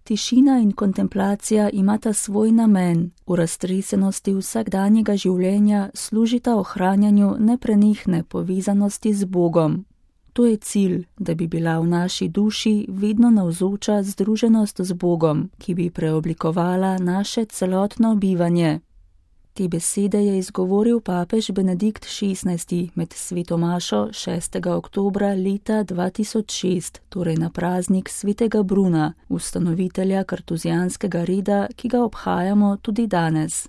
Tišina in kontemplacija imata svoj namen, v raztresenosti vsakdanjega življenja služita ohranjanju neprenehne povezanosti z Bogom. To je cilj, da bi bila v naši duši vedno navzoča združenost z Bogom, ki bi preoblikovala naše celotno bivanje. Te besede je izgovoril papež Benedikt XVI med sveto mašo 6. oktobra leta 2006, torej na praznik svetega Bruna, ustanovitelja kartuzijanskega reda, ki ga obhajamo tudi danes.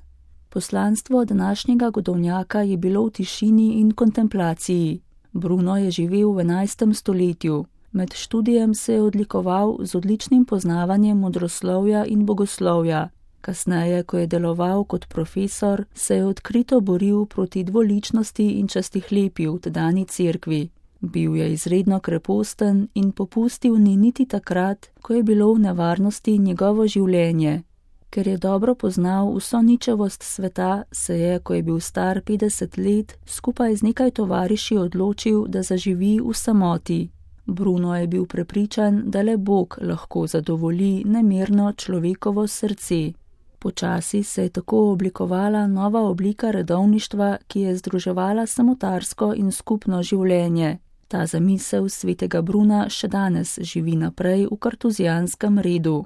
Poslanstvo današnjega godovnjaka je bilo v tišini in kontemplaciji. Bruno je živel v 11. stoletju. Med študijem se je odlikoval z odličnim poznavanjem modroslovja in bogoslovja. Kasneje, ko je deloval kot profesor, se je odkrito boril proti dvoličnosti in častihlepju v tedanji cerkvi. Bil je izredno kreposten in popustil ni niti takrat, ko je bilo v nevarnosti njegovo življenje. Ker je dobro poznal vso ničevost sveta, se je, ko je bil star 50 let, skupaj z nekaj tovariši odločil, da zaživi v samoti. Bruno je bil prepričan, da le Bog lahko zadovolji nemirno človekovo srce. Počasi se je tako oblikovala nova oblika redovništva, ki je združevala samotarsko in skupno življenje. Ta zamisel svetega Bruna še danes živi naprej v kartuzijanskem redu.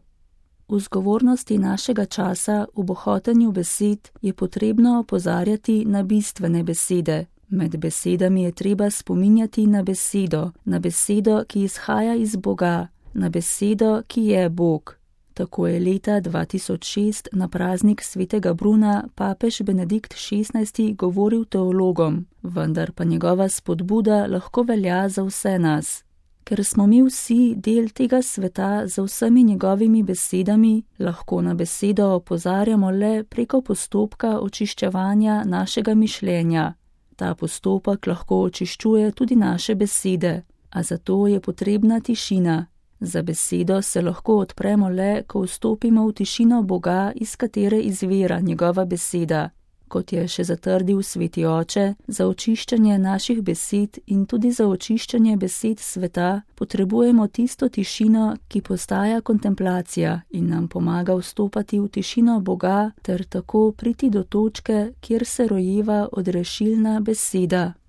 V zgovornosti našega časa, v bohotenju besed, je potrebno opozarjati na bistvene besede. Med besedami je treba spominjati na besedo, ki izhaja iz Boga, na besedo, ki je Bog. Tako je leta 2006 na praznik svetega Bruna papež Benedikt XVI govoril teologom, vendar pa njegova spodbuda lahko velja za vse nas. Ker smo mi vsi del tega sveta z vsemi njegovimi besedami, lahko na besedo opozarjamo le preko postopka očiščevanja našega mišljenja. Ta postopek lahko očiščuje tudi naše besede, a zato je potrebna tišina. Za besedo se lahko odpremo le, ko vstopimo v tišino Boga, iz katere izvira njegova beseda. Kot je še zatrdil sveti oče, za očiščenje naših besed in tudi za očiščenje besed sveta potrebujemo tisto tišino, ki postaja kontemplacija in nam pomaga vstopati v tišino Boga ter tako priti do točke, kjer se rojeva odrešilna beseda.